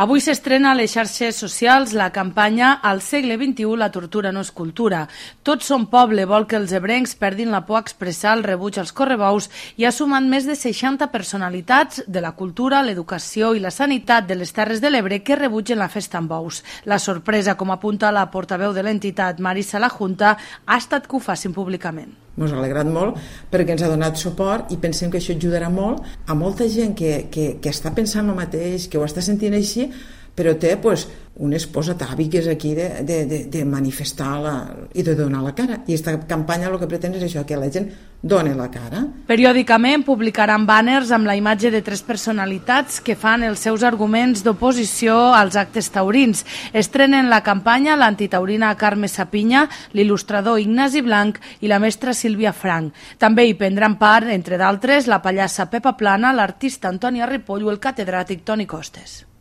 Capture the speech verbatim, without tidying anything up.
Avui s'estrena a les xarxes socials la campanya Al segle vint-i-u la tortura no és cultura. Tots som poble vol que els ebrencs perdin la por a expressar el rebuig als correbous i ha sumat més de seixanta personalitats de la cultura, l'educació i la sanitat de les Terres de l'Ebre que rebutgen la festa amb bous. La sorpresa, com apunta la portaveu de l'entitat, Marisa Lajunta, ha estat que ho facin públicament. Ens ha alegrat molt perquè ens ha donat suport i pensem que això ajudarà molt a molta gent que, que, que està pensant el mateix, que ho està sentint així, però té pues, un esposa tavi que és aquí de, de, de, de manifestar la, i de donar la cara. I aquesta campanya el que pretén és això, que la gent doni la cara. Periòdicament publicaran bàners amb la imatge de tres personalitats que fan els seus arguments d'oposició als actes taurins. Estrenen la campanya l'antitaurina Carme Sapinya, l'il·lustrador Ignasi Blanc i la mestra Sílvia Frank. També hi prendran part, entre d'altres, la pallassa Pepa Plana, l'artista Antònia Ripoll o el catedràtic Toni Costes.